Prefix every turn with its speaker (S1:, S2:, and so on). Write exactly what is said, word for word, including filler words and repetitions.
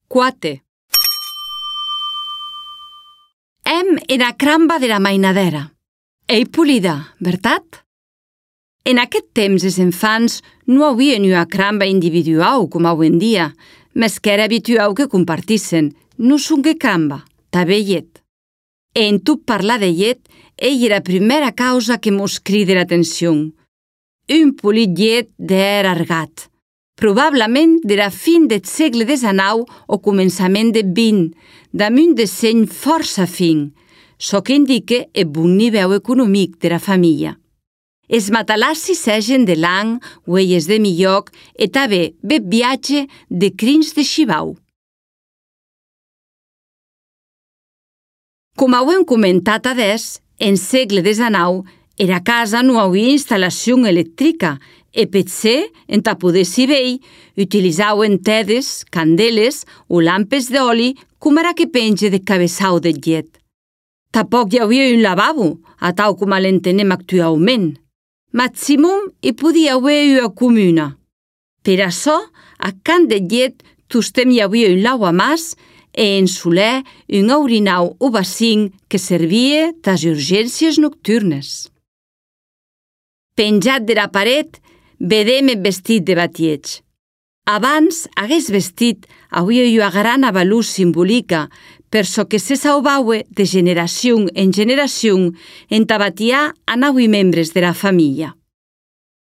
S1: Quatre. Hem era cramba de la mainadera. Ei polida, veritat? En aquest temps els infants no havien una cramba individual com avui en dia, mes que era habitual que compartissen, no son que cramba, també llet. E en tot parlar de llet, ell era la primera causa que mos crida l'atenció. Un polit llet d'er argat, probablement de la fin del segle desenou o començament del vint, damunt de seny força fin, çò que indica el bon nivell econòmic de la família. Els matalassis segen de lang, uelles de milloc e també bet viatge de crins de xibau. Com ho hem comentat adés, en segle desenou, era casa no havia instal·lació electrica e potser, entà poder saber, utilitzaven tedes, candeles o lampes d'oli com ara que penja de cabeçau de llet. Tampoc hi havia un lavabo, a tal com l'entenem actualment. Maximum hi podia haver una comuna. Per això, a Can de Llet, tostem hi havia un lavamàs e en soler un orinau o bacín que servia tas urgències nocturnes. Penjat de la paret, vedem el vestit de batieig. Abans, aguest vestit havia una gran valor simbòlica per çò que se sauvaue de generació en generació entà batiar a nou membres de la família.